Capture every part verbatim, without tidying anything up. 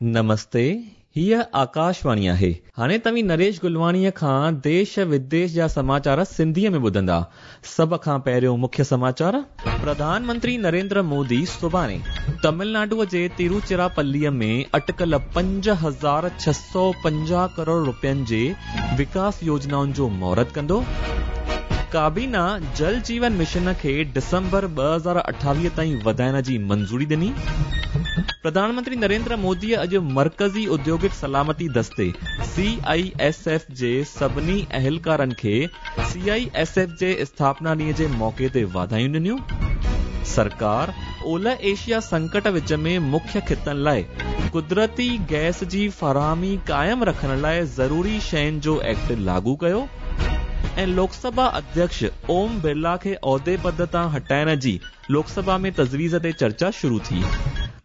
नमस्ते, हीअ आकाशवाणी आहे। हाणे तव्हीं नरेश गुलवाणीअ खां देश विदेश जा समाचार सिंधीअ में ॿुधंदा। सभ खां पहिरियों मुख्य समाचार। प्रधानमंत्री नरेंद्र मोदी सुभाणे तमिलनाडुअ जे तिरुचिरापल्लीअ में अटकल पंज हज़ार छह सौ पंजाह करोड़ रुपयनि जे विकास योजनाउनि जो मुहूर्त कंदो। काबीना जल जीवन मिशन खे डिसंबर ॿ हज़ार अठावीह ताईं वधाइण जी मंज़ूरी ॾिनी। प्रधानमंत्री नरेंद्र मोदी अॼु मर्कज़ी औद्योगिक सलामती दस्ते सी I S F जे सभिनी अहलकारनि खे सी I S F जे स्थापना ॾींहं जे मौक़े ते वाधायूं ॾिनियूं। सरकार ओलह एशिया संकट विच में मुख्य ख़ितनि लाइ कुदरती गैस जी फराहमी क़ाइमु रखण लाइ ज़रूरी शयुनि जो एक्ट लागू कयो। ऐं लोकसभा अध्यक्ष ओम बिरला खे ओहदे पद तां हटाइण जी लोकसभा में तजवीज़ ते चर्चा शुरू थी।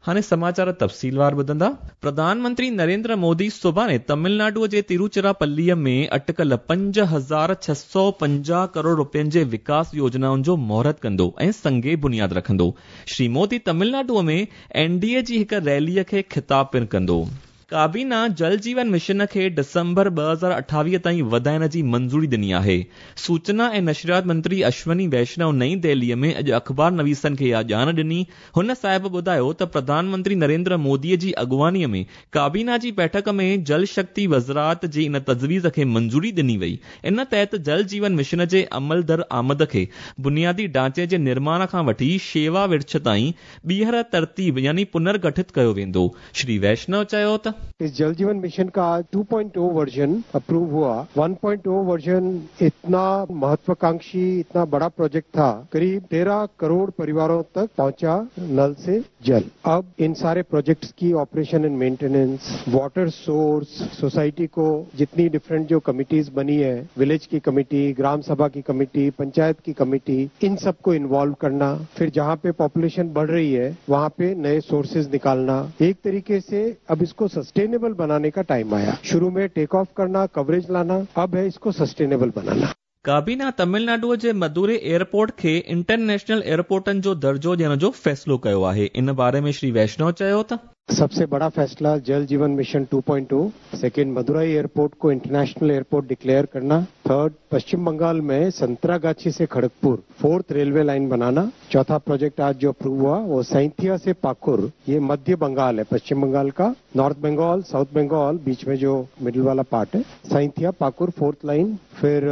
हाणे समाचार तफ़सीलवार ॿुधंदा। प्रधानमंत्री नरेंद्र मोदी सुभाणे तमिलनाडुअ जे तिरुचिरापल्लीअ में अटकल पंज हज़ार छह सौ पंजाह करोड़ रुपयनि जे विकास योजनाउनि जो मुहूर्त कंदो ऐं संगे बुनियाद रखंदो। श्री मोदी तमिलनाडुअ में एन डी ए जी हिकु रैलीअ खे ख़िताब पिणु कंदो। काबीना जल जीवन मिशन खे डिसंबर ॿ हज़ार अठावीह ताईं वधाइण जी मंज़ूरी ॾिनी आहे। सूचना ऐं नशरियात मंत्री अश्वनी वैष्णव नई दिल्लीअ में अॼु अख़बार नवीसनि खे इहा ॼाण ॾिनी। हुन साहिब ॿुधायो त प्रधानमंत्री नरेंद्र मोदीअ जी अॻुवाणीअ में काबीना जी बैठक में जल शक्ति वज़ारत जी इन तजवीज़ खे मंज़ूरी ॾिनी वई। इन तहत जल जीवन मिशन जे अमल दर आमद खे बुनियादी ढांचे जे निर्माण खां वठी शेवा विर्छ ताईं ॿीहर तरतीब यानी पुनर्गठित कयो वेंदो। श्री वैष्णव चयो त इस जल जीवन मिशन का two point O version approve हुआ। वन पॉइंट ओ वर्जन इतना महत्वाकांक्षी, इतना बड़ा प्रोजेक्ट था, करीब तेरह करोड़ परिवारों तक पहुंचा नल से जल। अब इन सारे प्रोजेक्ट्स की operation and maintenance, water source, society को जितनी डिफरेंट जो कमिटीज बनी है, विलेज की कमेटी, ग्राम सभा की कमेटी, पंचायत की कमेटी, इन सबको इन्वॉल्व करना, फिर जहां पे पॉपुलेशन बढ़ रही है वहां पे नए सोर्सेज निकालना, एक तरीके से अब इसको सस्टेनेबल बनाने का टाइम आया। शुरू में टेक ऑफ करना, कवरेज लाना, अब है इसको सस्टेनेबल बनाना। काबीना तमिलनाडुअ जे मदुरै एयरपोर्ट खे इंटरनेशनल एयरपोर्टनि जो दर्जो ॾियण जो फ़ैसिलो कयो आहे। इन बारे में श्री वैष्णव चयो त सबसे बड़ा फैसला Jal Jeevan Mission two point O, second Madurai airport को इंटरनेशनल एयरपोर्ट डिक्लेयर करना, थर्ड पश्चिम बंगाल में संतरागाछी से Kharagpur fourth railway line banana, चौथा प्रोजेक्ट आज जो अप्रूव हुआ वो सैंथिया से पाकुर, ये मध्य बंगाल है, पश्चिम बंगाल का, नॉर्थ बंगाल साउथ बंगाल बीच में जो मिडिल वाला पार्ट है, सैंथिया पाकुर फोर्थ लाइन, फिर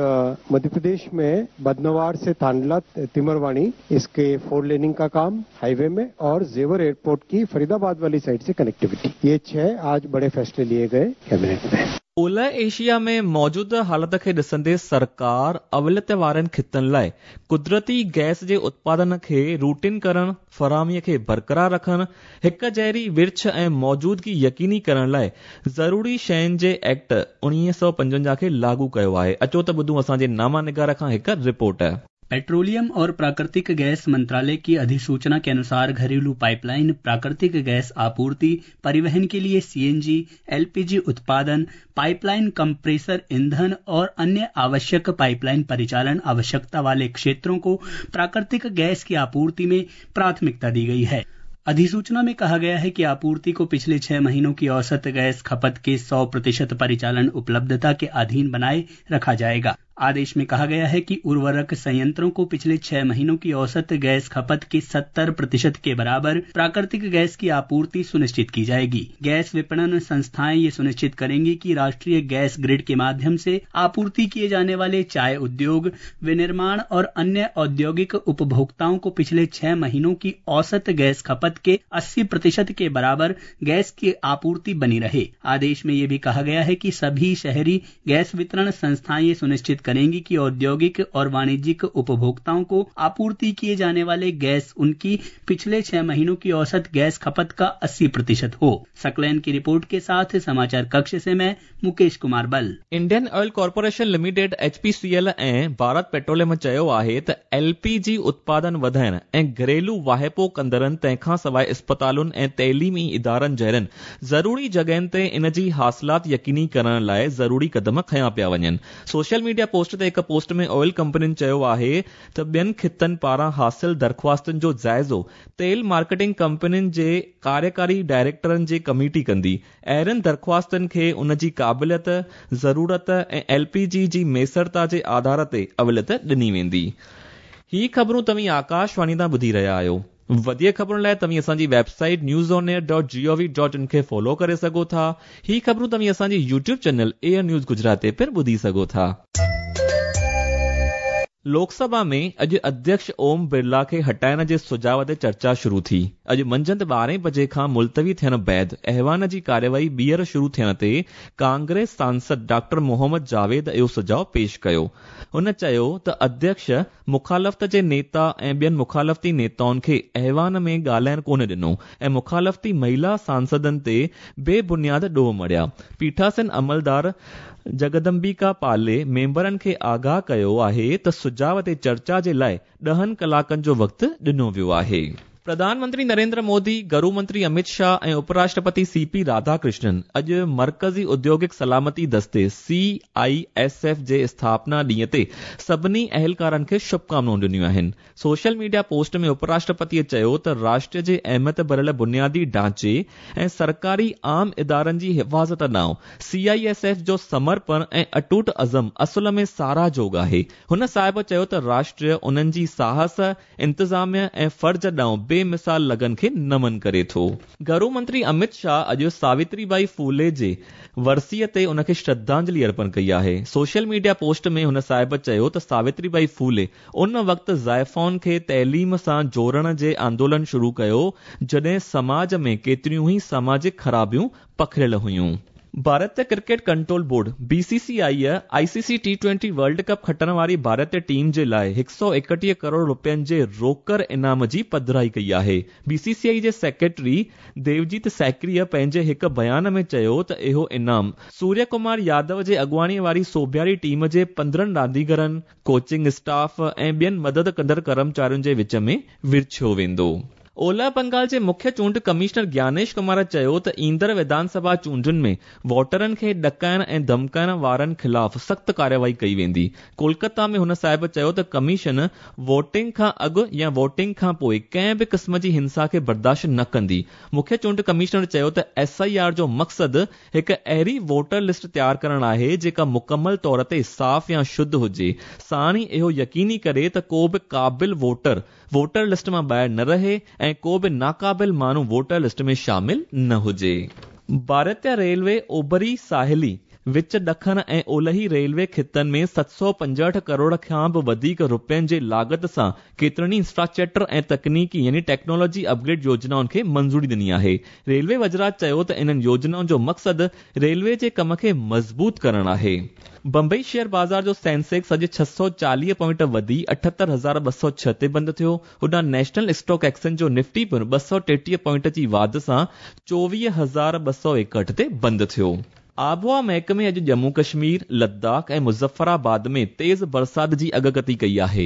मध्य प्रदेश में बदनवार से थांडला तिमरवाणी, इसके फोर लेनिंग का काम हाईवे में, और जेवर एयरपोर्ट की फरीदाबाद वाली साइड से कनेक्टिविटी। ये छह आज बड़े फैसले लिए गए कैबिनेट में। ओलह एशिया में मौजूदा हालत खे ॾिसंदे सरकार अवलियत वारनि ख़ितनि लाइ कुदरती गैस जे उत्पादन खे रूटिन करण, फराहमीअ खे बरक़रार रखण, हिक जहिड़ी विर्छ ऐं मौजूदगी यकीनी करण लाइ ज़रूरी शयुनि जे एक्ट उणिवीह सौ पंजवंजाह खे लागू कयो आहे। अचो त ॿुधूं असांजे नामा निगार खां हिकु रिपोर्ट। पेट्रोलियम और प्राकृतिक गैस मंत्रालय की अधिसूचना के अनुसार घरेलू पाइपलाइन, प्राकृतिक गैस आपूर्ति, परिवहन के लिए सीएनजी, एलपीजी उत्पादन, पाइपलाइन कंप्रेसर ईंधन और अन्य आवश्यक पाइपलाइन परिचालन आवश्यकता वाले क्षेत्रों को प्राकृतिक गैस की आपूर्ति में प्राथमिकता दी गई है। अधिसूचना में कहा गया है कि आपूर्ति को पिछले छह महीनों की औसत गैस खपत के सौ प्रतिशत परिचालन उपलब्धता के अधीन बनाए रखा जाएगा। आदेश में कहा गया है कि उर्वरक संयंत्रों को पिछले छह महीनों की औसत गैस खपत के सत्तर प्रतिशत के बराबर प्राकृतिक गैस की आपूर्ति सुनिश्चित की जाएगी। गैस विपणन संस्थाएं ये सुनिश्चित करेंगी कि राष्ट्रीय गैस ग्रिड के माध्यम से आपूर्ति किए जाने वाले चाय उद्योग, विनिर्माण और अन्य औद्योगिक उपभोक्ताओं को पिछले छह महीनों की औसत गैस खपत के अस्सी प्रतिशत के बराबर गैस की आपूर्ति बनी रहे। आदेश में ये भी कहा गया है कि सभी शहरी गैस वितरण संस्थाएं ये सुनिश्चित करेंगी कि औद्योगिक और वाणिज्यिक उपभोक्ताओं को आपूर्ति किए जाने वाले गैस उनकी पिछले छह महीनों की औसत गैस खपत का अस्सी प्रतिशत हो। सकलैन की रिपोर्ट के साथ समाचार कक्ष से मैं मुकेश कुमार बल। Indian Oil Corporation Limited H P C L ऐं भारत पेट्रोलियम चयो आहे त एलपीजी उत्पादन वधाइण ऐं घरेलू वाहिपो कंदड़नि तंहिंखां सवाइ अस्पतालुनि ऐं तइलीमी इदारनि जहिड़नि ज़रूरी जॻहियुनि ते इन जी हासिलात यकीनी करण लाइ ज़रूरी क़दम खयां पिया वञनि। सोशल मीडिया پوسٽ تي هڪ پوسٽ ۾ آئل ڪمپنين چيو آهي ته ٻين خطن پاران حاصل درخواستن جو جائزو تيل مارڪيٽنگ ڪمپنين جي ڪاريڪاري ڊائريڪٽرن جي ڪميٽي ڪندي. اهڙين درخواستن کي ان جي قابليت، ضرورت ۽ ايل پي جي جي ميسرتا جي آڌار تي اوليت ڏني ويندي. هي خبرون توهين آڪاشواڻي تان ٻڌي رهيا آهيو. وڌيڪ خبرن لاءِ توهين اسان جي website news on air dot G O V dot in کي فالو ڪري سگهو ٿا. هي خبرون توهين اسان جي YouTube channel AIR news Gujarat تي پڻ ٻڌي سگهو ٿا. لوڪسڀا ۾ اڄ اڌيڪش اوم برلا کي هٽائڻ جي سجهاءُ تي چرچا شروع ٿي. اڄ منجهند ٻارهين بجي کان ملتوي ٿيڻ بعد ايوان جي ڪارروائي ٻيهر شروع ٿيڻ تي ڪانگريس سانسد ڊاڪٽر محمد جاويد اهو سجهاءُ پيش ڪيو. هن چيو ته اڌيڪش مخالفت جي نيتا ۽ ٻين مخالفتي نيتائن کي ايوان ۾ ڳالهائڻ ڪونه ڏنو ۽ مخالفتي مهلا سانسدن تي بي بنياد ڏوهه مڙهيا. پيٺاسين عملدار جگدمبيڪا پالي ميمبرن کي آگاهه ڪيو آهي ته سجهاءُ تي چرچا جي لاءِ ڏهن ڪلاڪن جو وقت ڏنو ويو آهي. پرڌان منتري نريندر مودي، گرو منتري امت شاهه ۽ اپراشٽرپتي سي پي راڌاڪرشنن اڄ مرڪزي اوديوگڪ سلامتي دستي سي I S F جي اسٿاپنا ڏينهن تي سڀني اهلڪارن کي شڀڪامنائون ڏنيون آهن. سوشل ميڊيا پوسٽ ۾ اپراشٽرپتيءَ چيو ته راشٽر جي اهميت ڀريل بنيادي ڍانچي ۽ سرڪاري عام ادارن جي حفاظت ڏانهن سي I S F جو سمرپڻ ۽ اٽوٽ عزم اصل ۾ ساراهه جوڳ آهي. هن صاحب چيو ته راشٽر انهن جي ساهس، انتظاميه ۽ فرض ڏانهن بيمثال لگن کي نمن ڪري ٿو. گهرو منتري امت شاهه اڄ ساوتري ٻائي ڦولي جي ورسيءَ تي ان کي شرڌانجلي ارپڻ ڪئي آهي. سوشل ميڊيا پوسٽ ۾ هن صاحب چيو ته ساوتري ٻائي ڦولي ان وقت زائفائن کي تعليم سان جوڙڻ جي آندولن شروع ڪيو جڏهن سماج ۾ ڪيتريون ئي ساماجڪ خرابيون پکڙيل هيون. ڀارتيه cricket control board B C C I I C C T twenty world cup کٽڻ واري ڀارتيه ٽيم جي لاءِ هڪ سؤ ايڪٽيهه ڪروڙ رپين جي روڪڙ انعام جي پڌرائي ڪئي آهي. بي سي سي I جي سيڪريٽري ديوجيت سيڪريءَ پنهنجي هڪ بيان ۾ چيو ته اهو انعام سوريه ڪمار يادو جي اڳواڻيءَ واري سوڀياري ٽيم جي پندرهن رانديگرن، ڪوچنگ اسٽاف ۽ ٻين مدد ڪندڙ ڪرمچارين جي وچ ۾ ورڇيو ويندو. اولهه بنگال جي مکيه چونڊ ڪمشنر گيانيش ڪمار چيو ته ايندڙ وڌان سڀا چونڊن ۾ ووٽرن کي ڏڪائڻ ۽ ڌمڪائڻ وارن خلاف سخت ڪارروائي ڪئي ويندي. ڪولڪتا ۾ هن صاحب چيو ته ڪميشن ووٽنگ کان اڳ يا ووٽنگ کان پوءِ ڪنهن به قسم جي هنسا کي برداشت نه ڪندي. مکيه چونڊ ڪمشنر چيو ته ايس I R جو مقصد هڪ اهڙي ووٽر لسٽ تيار ڪرڻ آهي جيڪا مڪمل طور تي صاف يا شڌ هجي، ساڻ ئي اهو يقيني ڪري ته ڪو به قابل ووٽر ووٽر لسٽ مان ٻاهر نه رهي ۽ ڪو به ناقابل ماڻهو ووٽر لسٽ ۾ شامل نه هجي. ڀارتيه ريلوي اوڀري ساحلي، وچ ڏکڻ ۽ اولهي ريلوي خطن ۾ ست سؤ پنجهٺ ڪروڙ کان به وڌيڪ رپين جي لاڳت سان ڪيترن ئي انفراسٽرڪچر ۽ تڪنيڪي يعني ٽيڪنالاجي اپگريڊ يوجنائن کي منظوري ڏني آهي. ريلوي وزارت چيو ته انهن يوجنائن جو مقصد ريلوي جي ڪم کي مضبوط ڪرڻ آهي. بمبئي شيئر بازار جو سينسيڪس اڄ ڇهه سؤ چاليهه پوائنٽ وڌي اٺهتر هزار ٻه سؤ ڇهه تي بند ٿيو. هوڏانهن نيشنل اسٽاڪ ايڪسچينج جو نفٽي پڻ ٻه سؤ ٽيٽيهه پوائنٽ جي واڌ سان چوويهه هزار ٻه سؤ ايڪهٺ تي بند ٿيو. آبهوا محڪمي اڄ ڄمون ڪشمير، لداخ ۽ مظفرآباد ۾ تيز برسات جي اڳڪٿي ڪئي آهي.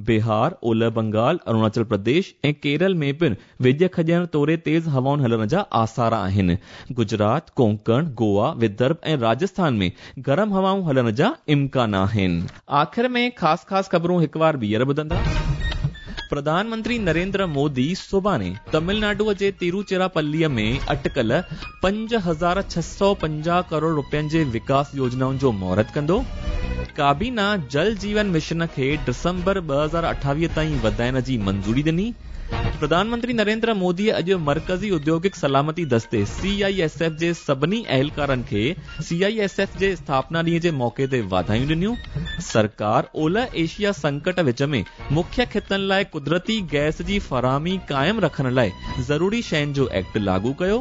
بهار، اولهه بنگال، اروناچل پرديش ۽ ڪيرل ۾ پڻ وڄ کڄڻ توڙي تيز هوائن هلڻ جا آثار آهن. گجرات، ڪونڪڻ، گوا، ودرڀ ۽ راجسٿان ۾ گرم هوائون هلڻ جا امڪان آهن. آخر ۾ خاص خاص خبرون هڪ بار ٻيهر ٻڌندا. پرڌان منتري نريندر مودي سڀاڻي تامل ناڊوءَ جي تروچراپليءَ ۾ اٽڪل پنج هزار ڇهه سؤ پنجاهه ڪروڙ رپين جي وڪاس يوجنائن جو مهورت ڪندو. ڪابينا جل جيون مشن کي ڊسمبر ٻه هزار اٺاويهه تائين وڌائڻ جي منظوري ڏني. پرڌان منتري نريندر موديءَ اڄ مرڪزي اوديوگڪ سلامتي دستي سي I S F جي سڀني اهلڪارن کي سي I S F جي اسٿاپنا ڏينهن جي موقعي تي واڌايون ڏنيون. سرڪار اولهه ايشيا سنڪٽ وچ ۾ مکيه خطن لاءِ قدرتي گئس جي فراهمي قائم رکڻ لاءِ ضروري شين جو ايڪٽ لاڳو ڪيو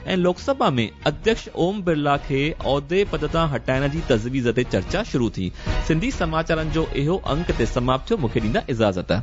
۽ لوڪسڀا ۾ اڌيڪش اوم برلا کي عهدي پد تان هٽائڻ جي تجويز تي چرچا شروع ٿي. سنڌي سماچارن جو اهو انڪ تي سماپت ٿيو. مون کي ڏيندا اجازت.